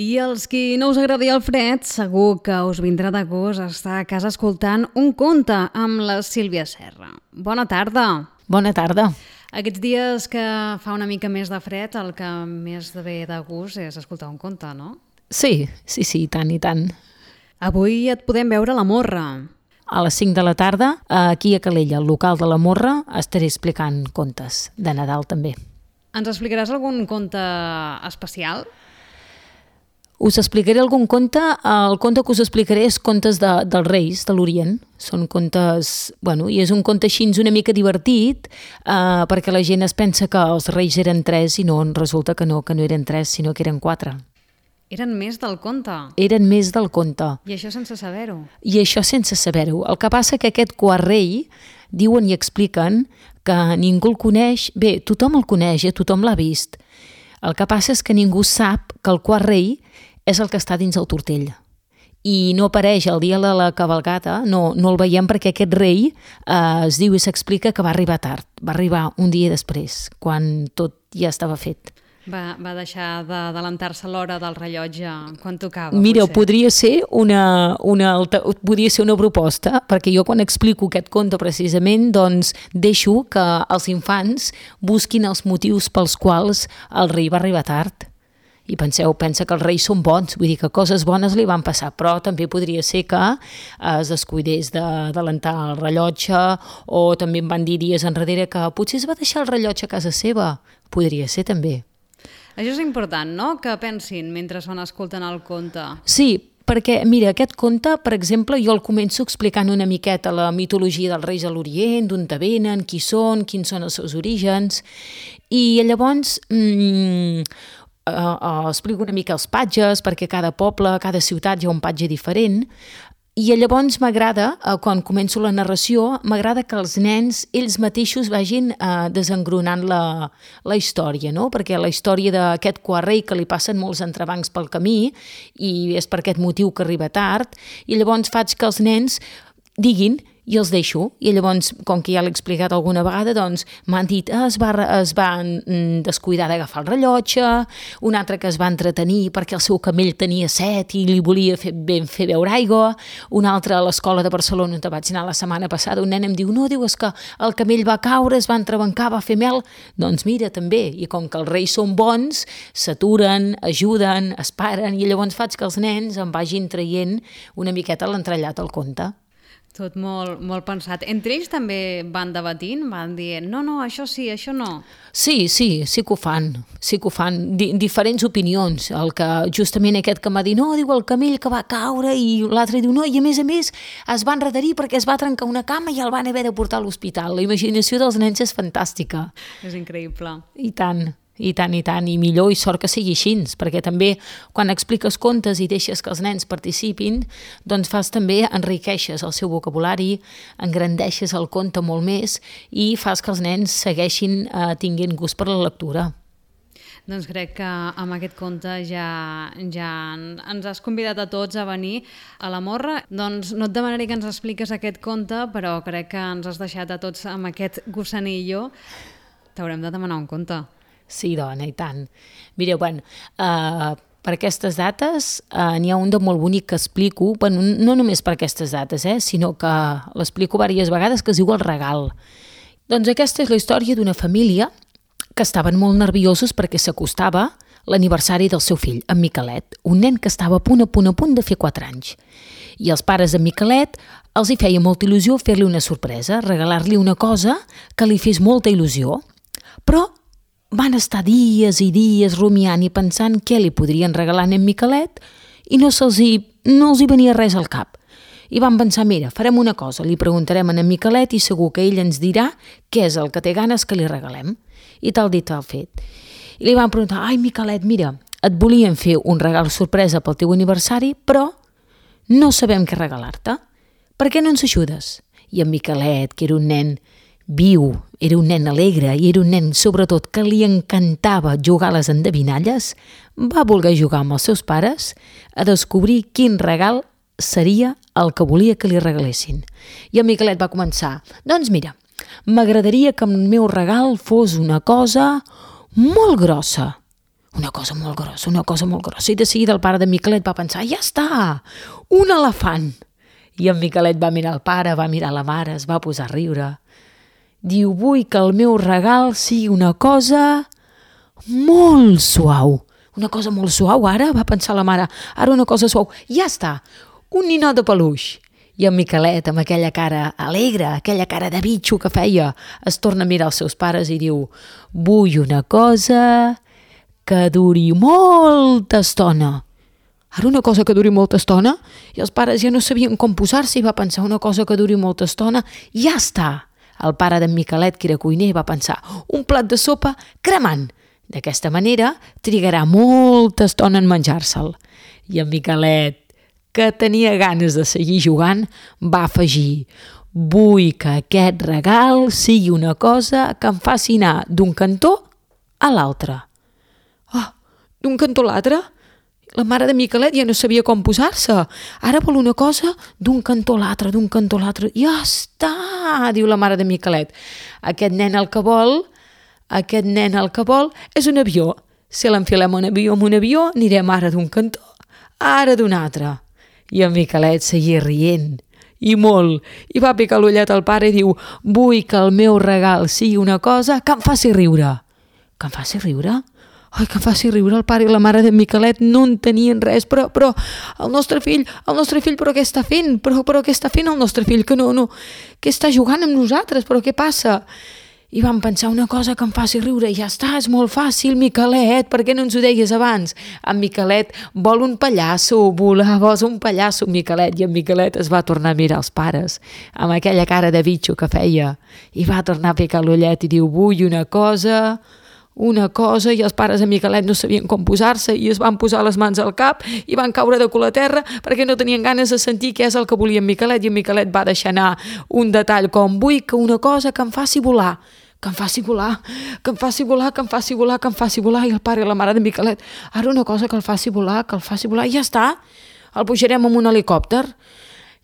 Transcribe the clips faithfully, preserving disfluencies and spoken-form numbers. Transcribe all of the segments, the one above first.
I els qui no us agradi el fred, segur que us vindrà de gust estar a casa escoltant un conte amb la Sílvia Serra. Bona tarda! Bona tarda! Aquests dies que fa una mica més de fred, el que més ve de gust és escoltar un conte, no? Sí, sí, sí, i tant, i tant. Avui et podem veure a la Morra. A les cinc de la tarda, aquí a Calella, al local de la Morra, estaré explicant contes de Nadal també. Ens explicaràs algun conte especial? Us explicaré algun conte. El conte que us explicaré és contes de, dels Reis de l'Orient. Són contes... Bueno, i és un conte així una mica divertit, eh, perquè la gent es pensa que els Reis eren tres i no, resulta que no, que no eren tres, sinó que eren quatre. Eren més del conte? Eren més del conte. I això sense saber-ho? I això sense saber-ho. El que passa que aquest quart rei, diuen i expliquen que ningú el coneix. Bé, tothom el coneix, eh? Tothom l'ha vist. El que passa és que ningú sap que el quart rei és el que està dins el tortell. I no apareix el dia de la cavalcata, no, no el veiem perquè aquest rei eh, es diu i s'explica que va arribar tard. Va arribar un dia després, quan tot ja estava fet. Va, va deixar d'adelantar-se l'hora del rellotge quan tocava. Mira, potser. podria ser una, una, alta, podria ser una proposta, perquè jo quan explico aquest conte precisament, doncs deixo que els infants busquin els motius pels quals el rei va arribar tard. I penseu, pensa que els reis són bons, vull dir que coses bones li van passar, però també podria ser que es descuidés d'adelantar el rellotge, o també em van dir dies enrere que potser es va deixar el rellotge a casa seva. Podria ser també. Això és important, no?, que pensin mentre són escoltant el conte. Sí, perquè, mira, aquest conte, per exemple, jo el començo explicant una miqueta la mitologia dels reis a l'Orient, d'on venen, qui són, quins són els seus orígens, i llavors mmm, uh, uh, explico una mica els patges, perquè cada poble, cada ciutat hi ha un patge diferent, i llavors m'agrada, uh, quan començo la narració, m'agrada que els nens, ells mateixos vagin uh, desengronant la, la història, no? Perquè la història d'aquest quart rei que li passen molts entrebancs pel camí i és per aquest motiu que arriba tard, i llavors faig que els nens diguin i els deixo, i llavors, com que ja l'he explicat alguna vegada, doncs m'han dit es va, es va descuidar d'agafar el rellotge, un altre que es va entretenir perquè el seu camell tenia set i li volia fer, ben fer beure aigua, un altre a l'escola de Barcelona on vaig anar la setmana passada, un nen em diu, no, diu, és que el camell va caure, es va entrebancar, va fer mel, doncs mira, també, i com que els reis són bons, s'aturen, ajuden, es paren, i llavors faig que els nens em vagin traient una miqueta l'entrellat al conte. Tot molt, molt pensat. Entre ells també van debatint, van dient, no, no, això sí, això no. Sí, sí, sí que ho fan, sí que ho fan. Di diferents opinions. El que justament aquest que m'ha dit, no, diu el camell que va caure, i l'altre diu, no, i a més a més es va enrederir perquè es va trencar una cama i el van haver de portar a l'hospital. La imaginació dels nens és fantàstica. És increïble. I tant. I tant, i tant, i millor i sort que sigui així, perquè també quan expliques contes i deixes que els nens participin, doncs fas també, enriqueixes el seu vocabulari, engrandeixes el conte molt més i fas que els nens segueixin eh, tinguent gust per la lectura. Doncs crec que amb aquest conte ja, ja ens has convidat a tots a venir a la Morra. Doncs no et demanaré que ens expliques aquest conte, però crec que ens has deixat a tots amb aquest gossanillo. T'haurem de demanar un conte. Sí, dona, i tant. Mireu, bueno, uh, per aquestes dates uh, n'hi ha un de molt bonic que explico, bueno, no només per aquestes dates, eh, sinó que l'explico diverses vegades, que es diu El regal. Doncs aquesta és la història d'una família que estaven molt nerviosos perquè s'acostava l'aniversari del seu fill, en Miquelet, un nen que estava a punt, a punt, a punt de fer quatre anys. I els pares de Miquelet els hi feia molta il·lusió fer-li una sorpresa, regalar-li una cosa que li fes molta il·lusió. Però van estar dies i dies rumiant i pensant què li podrien regalar a en Miquelet i no se'ls hi, no els hi venia res al cap. I van pensar, mira, farem una cosa, li preguntarem a en Miquelet i segur que ell ens dirà què és el que té ganes que li regalem. I tal dit tal fet. I li van preguntar, ai Miquelet, mira, et volíem fer un regal sorpresa pel teu aniversari, però no sabem què regalar-te. Per què no ens ajudes? I en Miquelet, que era un nen viu, era un nen alegre i era un nen, sobretot, que li encantava jugar a les endevinalles, va voler jugar amb els seus pares a descobrir quin regal seria el que volia que li regalessin. I en Miquelet va començar, doncs mira, m'agradaria que el meu regal fos una cosa molt grossa, una cosa molt grossa, una cosa molt grossa. I de seguida el pare de Miquelet va pensar, ja està, un elefant. I en Miquelet va mirar el pare, va mirar la mare, es va posar a riure. Diu, vull que el meu regal sigui una cosa molt suau. Una cosa molt suau, ara, va pensar la mare, ara una cosa suau. Ja està, un ninot de peluix. I en Miquelet, amb aquella cara alegre, aquella cara de bitxo que feia, es torna a mirar els seus pares i diu, vull una cosa que duri molta estona. Ara una cosa que duri molta estona? I els pares ja no sabien com posar-se i va pensar una cosa que duri molta estona. Ja està! El pare d'en Miquelet, que era cuiner, va pensar un plat de sopa cremant. D'aquesta manera trigarà molta estona en menjar-se'l. I en Miquelet, que tenia ganes de seguir jugant, va afegir vull que aquest regal sigui una cosa que em faci anar d'un cantó a l'altre. Oh, d'un cantó a l'altre? La mare de Miquelet ja no sabia com posar-se. Ara vol una cosa d'un cantó a l'altre, d'un cantó a l'altre. Ja està, diu la mare de Miquelet. Aquest nen el que vol, aquest nen el que vol és un avió. Si l'enfilem un avió amb un avió, anirem ara d'un cantó, ara d'un altre. I en Miquelet seguia rient, i molt, i va picar l'ullet al pare i diu vull que el meu regal sigui una cosa que em faci riure. Que em faci riure? Ai, que em faci riure. El pare i la mare de Miquelet no en tenien res, però, però el nostre fill, el nostre fill, però què està fent? Però, però què està fent el nostre fill? Que no, no, que està jugant amb nosaltres, però què passa? I vam pensar una cosa que em faci riure, i ja està, és molt fàcil, Miquelet, per què no ens ho deies abans? En Miquelet vol un pallasso, volaves un pallasso, Miquelet, i en Miquelet es va tornar a mirar els pares, amb aquella cara de bitxo que feia, i va tornar a picar l'ullet i diu, vull una cosa, una cosa, i els pares de Miquelet no sabien com posar-se i es van posar les mans al cap i van caure de cul a terra perquè no tenien ganes de sentir què és el que volia en Miquelet, i en Miquelet va deixar anar un detall com vull que una cosa que em faci volar, que em faci volar, que em faci volar, que em faci volar, que em faci volar, i el pare i la mare de Miquelet, ara una cosa que el faci volar, que el faci volar, i ja està, el pujarem amb un helicòpter.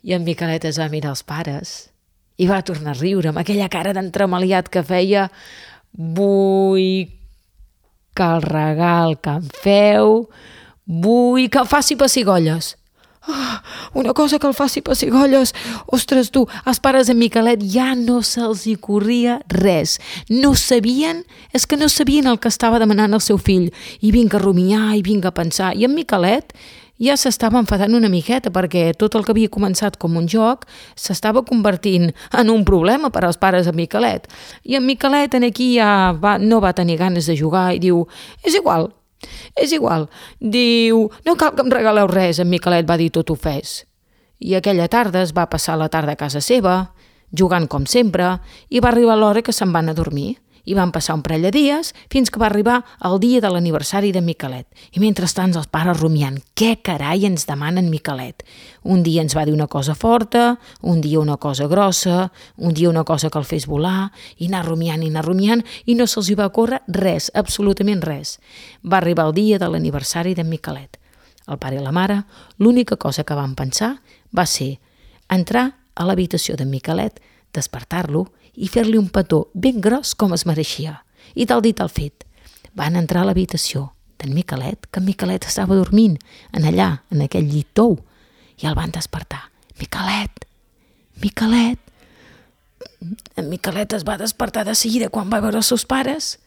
I en Miquelet es va mirar els pares i va tornar a riure amb aquella cara d'entremaliat que feia vull que el regal que em feu, vull que el faci pessigolles. Oh, una cosa que el faci pessigolles. Ostres, tu, els pares de Miquelet ja no se'ls hi corria res. No sabien, és que no sabien el que estava demanant el seu fill. I vinga a rumiar, i vinga a pensar. I en Miquelet ja s'estava enfadant una miqueta perquè tot el que havia començat com un joc s'estava convertint en un problema per als pares de Miquelet. I en Miquelet en aquí ja va, no va tenir ganes de jugar i diu, és igual, és igual. Diu, no cal que em regaleu res, en Miquelet va dir tot ho fes. I aquella tarda es va passar la tarda a casa seva, jugant com sempre, i va arribar l'hora que se'n van a dormir. I van passar un parell de dies fins que va arribar el dia de l'aniversari de Miquelet. I mentrestant els pares rumiant, què carai ens demanen Miquelet? Un dia ens va dir una cosa forta, un dia una cosa grossa, un dia una cosa que el fes volar, i anar rumiant i anar rumiant, i no se'ls hi va córrer res, absolutament res. Va arribar el dia de l'aniversari de Miquelet. El pare i la mare, l'única cosa que van pensar va ser entrar a l'habitació de Miquelet, despertar-lo i fer-li un petó ben gros com es mereixia. I tal dit tal fet. Van entrar a l'habitació d'en Miquelet, que en Miquelet estava dormint, en allà, en aquell llit tou, i el van despertar. Miquelet, Miquelet. En Miquelet es va despertar de seguida quan va veure els seus pares.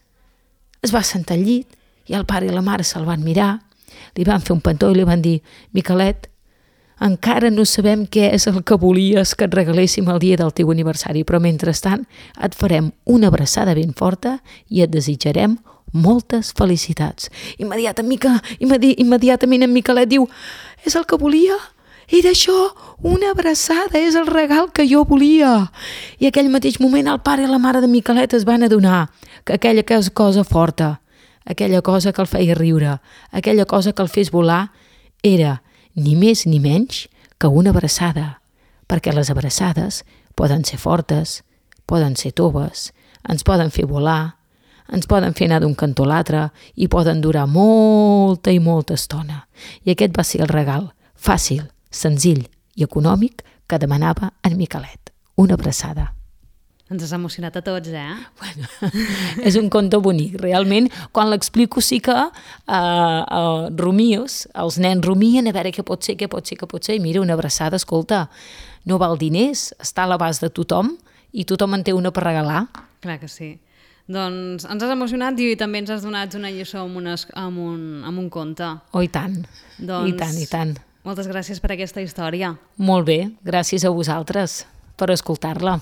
Es va sentar al llit i el pare i la mare se'l van mirar, li van fer un petó i li van dir, Miquelet, encara no sabem què és el que volies que et regaléssim el dia del teu aniversari, però mentrestant et farem una abraçada ben forta i et desitjarem moltes felicitats. Immediatament, immediatament en Miquelet diu, és el que volia? Era això, una abraçada, és el regal que jo volia. I aquell mateix moment el pare i la mare de Miquelet es van adonar que aquella cosa forta, aquella cosa que el feia riure, aquella cosa que el fes volar, era ni més ni menys que una abraçada, perquè les abraçades poden ser fortes, poden ser toves, ens poden fer volar, ens poden fer anar d'un cantó a l'altre i poden durar molta i molta estona. I aquest va ser el regal fàcil, senzill i econòmic que demanava en Miquelet, una abraçada. Ens has emocionat a tots, eh? Bueno, és un conte bonic. Realment, quan l'explico sí que uh, uh, rumios, els nens rumien a veure què pot ser, què pot ser, què pot ser, i mira, una abraçada, escolta, no val diners, està a l'abast de tothom i tothom en té una per regalar. Clar que sí. Doncs ens has emocionat i també ens has donat una lliçó amb, unes, amb, un, amb un conte. Oh, i tant, doncs, i tant, i tant. Moltes gràcies per aquesta història. Molt bé, gràcies a vosaltres per escoltar-la.